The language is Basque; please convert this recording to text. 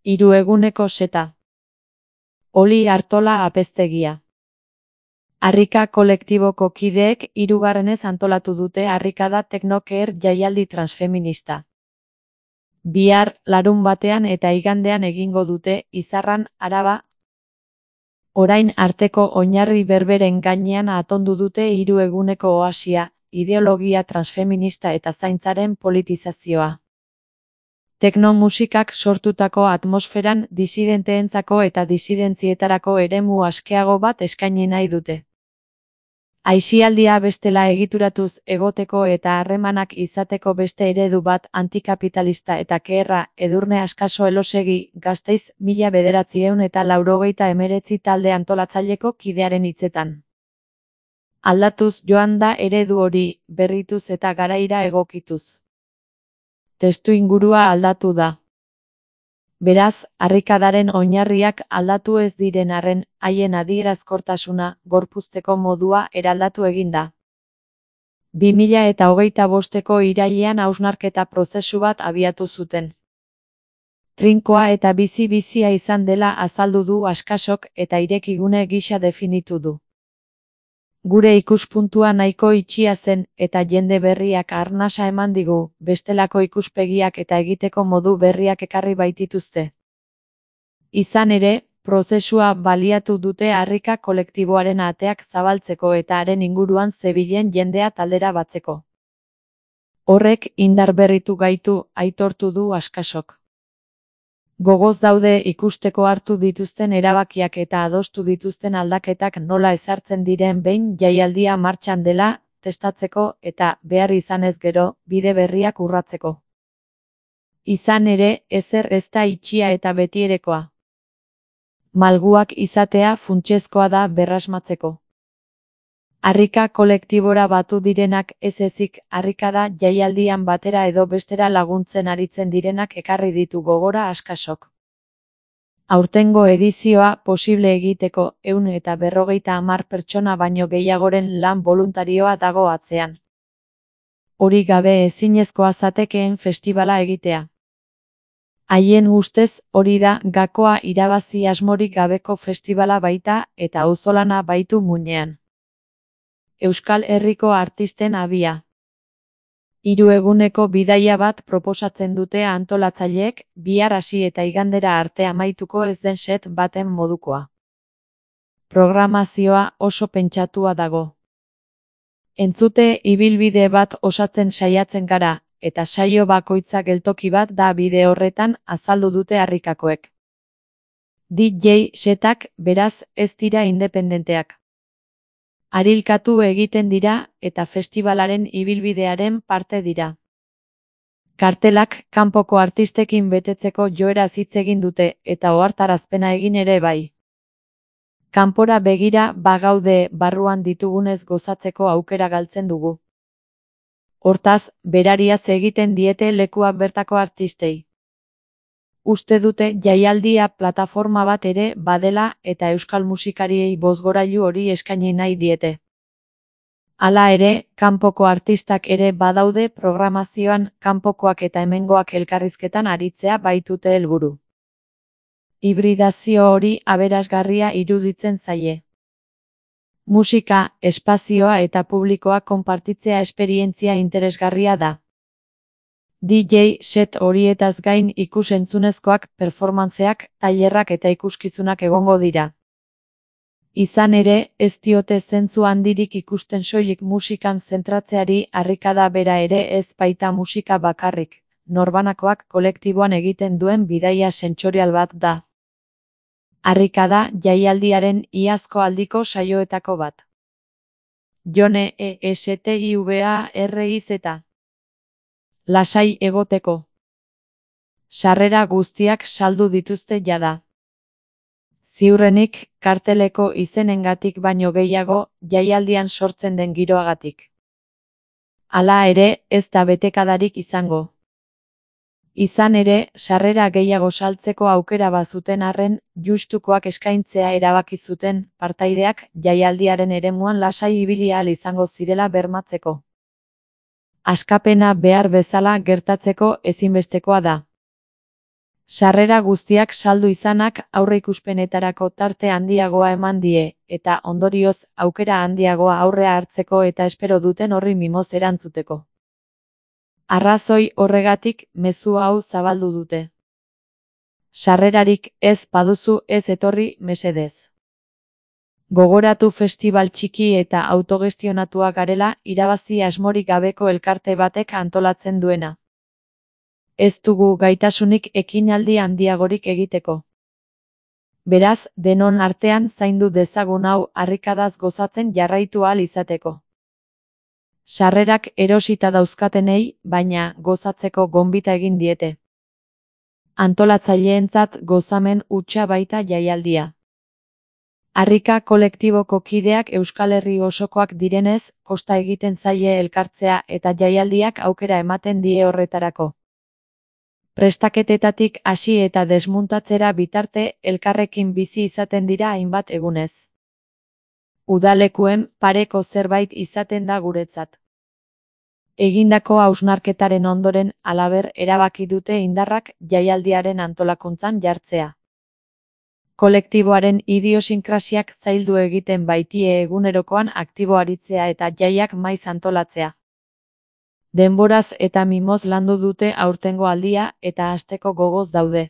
Hiru eguneko seta. Oli Artola Apeztegia. Harrika kolektiboko kideek hirugarrenez antolatu dute Harrikada Teknokeer jaialdi transfeminista. Bihar, larunbatean eta igandean egingo dute Izarran, Araba. Orain arteko oinarri berberen gainean atondu dute 3 eguneko oasia, ideologia transfeminista eta zaintzaren politizazioa. Teknomusikak sortutako atmosferan disidenteentzako eta disidentzietarako eremu askeago bat eskaini nahi dute. Aisialdia bestela egituratuz egoteko eta harremanak izateko beste eredu bat antikapitalista eta keherra. Edurne Askaso Elosegi, Gasteiz, 1989 talde antolatzaileko kidearen hitzetan. Aldatuz joan da eredu hori, berrituz eta garaira egokituz. Testuingurua aldatu da. Beraz, harrikadaren oinarriak aldatu ez diren arren, haien adierazkortasuna, gorpuzteko modua eraldatu egin da. 2025ko irailean hausnarketa prozesu bat abiatu zuten. Trinkoa eta bizi-bizia izan dela azaldu du Askasok eta irekigune gisa definitu du. Gure ikuspuntua nahiko itxia zen eta jende berriak arnasa eman digu, bestelako ikuspegiak eta egiteko modu berriak ekarri baitituzte. Izan ere, prozesua baliatu dute harrika kolektiboaren ateak zabaltzeko eta haren inguruan zebilen jendea taldera batzeko. Horrek indar berritu gaitu, aitortu du Askasok. Gogoz daude ikusteko hartu dituzten erabakiak eta adostu dituzten aldaketak nola ezartzen diren behin jaialdia martxan dela, testatzeko eta, behar izanez gero, bide berriak urratzeko. Izan ere, ezer ez da itxia eta betierekoa. Malguak izatea funtsezkoa da berrasmatzeko. Harrika kolektibora batu direnak ez ezik, harrikada jaialdian batera edo bestera laguntzen aritzen direnak ekarri ditu gogora Askasok. Aurtengo edizioa posible egiteko 150 pertsona baino gehiagoren lan boluntarioa dago atzean. Hori gabe ezinezkoa zatekeen festibala egitea. Haien ustez hori da gakoa irabazi asmorik gabeko festibala baita eta auzolana baitu muinean. Euskal Herriko artisten abia. 3 eguneko bidaia bat proposatzen dute antolatzaileek, bihar hasi eta igandera arte amaituko ez den set baten modukoa. Programazioa oso pentsatua dago. Entzute ibilbide bat osatzen saiatzen gara, eta saio bakoitza geltoki bat da bide horretan, azaldu dute harrikakoek. DJ setak, beraz, ez dira independenteak. Harilkatu egiten dira eta festibalaren ibilbidearen parte dira. Kartelak kanpoko artistekin betetzeko joeraz hitz egin dute eta ohartarazpena egin ere bai. Kanpora begira bagaude barruan ditugunez gozatzeko aukera galtzen dugu. Hortaz, berariaz egiten diete lekua bertako artistei. Uste dute jaialdia plataforma bat ere badela eta euskal musikariei bozgorailu hori eskaini nahi diete. Hala ere, kanpoko artistak ere badaude programazioan, kanpokoak eta hemengoak elkarrizketan aritzea baitute helburu. Hibridazio hori aberasgarria iruditzen zaie. Musika, espazioa eta publikoa konpartitzea esperientzia interesgarria da. DJ set horietaz gain ikus-entzunezkoak, performantzeak, tailerrak eta ikuskizunak egongo dira. Izan ere, ez diote zentzu handirik ikusten soilik musikan zentratzeari, harrikada bera ere ez baita musika bakarrik, norbanakoak kolektiboan egiten duen bidaia sentsorial bat da. Harrikada jaialdiaren iazko aldiko saioetako bat. Jone ESTIVARIZ. Lasai egoteko. Sarrera guztiak saldu dituzte jada. Ziurrenik, karteleko izenengatik baino gehiago, jaialdian sortzen den giroagatik. Hala ere, ez da betekadarik izango. Izan ere, sarrera gehiago saltzeko aukera bazuten arren, justukoak eskaintzea erabaki zuten, partaideak, jaialdiaren eremuan lasai ibili ahal izango zirela bermatzeko. Askapena behar bezala gertatzeko ezinbestekoa da. Sarrera guztiak saldu izanak aurreikuspenetarako tarte handiagoa eman die, eta ondorioz aukera handiagoa aurrea hartzeko eta espero duten horri mimoz erantzuteko. Arrazoi horregatik mezu hau zabaldu dute. Sarrerarik ez baduzu ez etorri mesedez. Gogoratu festibal txiki eta autogestionatua garela irabazi asmorik gabeko elkarte batek antolatzen duena. Ez dugu gaitasunik ekinaldi handiagorik egiteko. Beraz, denon artean zaindu dezagun hau harrikadaz gozatzen jarraitu ahal izateko. Sarrerak erosita dauzkatenei, baina gozatzeko gonbita egin diete. Antolatzaileentzat gozamen hutsa baita jaialdia. Harrika kolektiboko kideak Euskal Herri osokoak direnez, kosta egiten zaie elkartzea eta jaialdiak aukera ematen die horretarako. Prestaketetatik hasi eta desmuntatzera bitarte elkarrekin bizi izaten dira hainbat egunez. Udalekuen pareko zerbait izaten da guretzat. Egindako hausnarketaren ondoren halaber erabaki dute indarrak jaialdiaren antolakuntzan jartzea. Kolektiboaren idiosinkrasiak zaildu egiten baitie egunerokoan aktibo aritzea eta jaiak maiz antolatzea. Denboraz eta mimoz landu dute aurtengo aldia eta hasteko gogoz daude.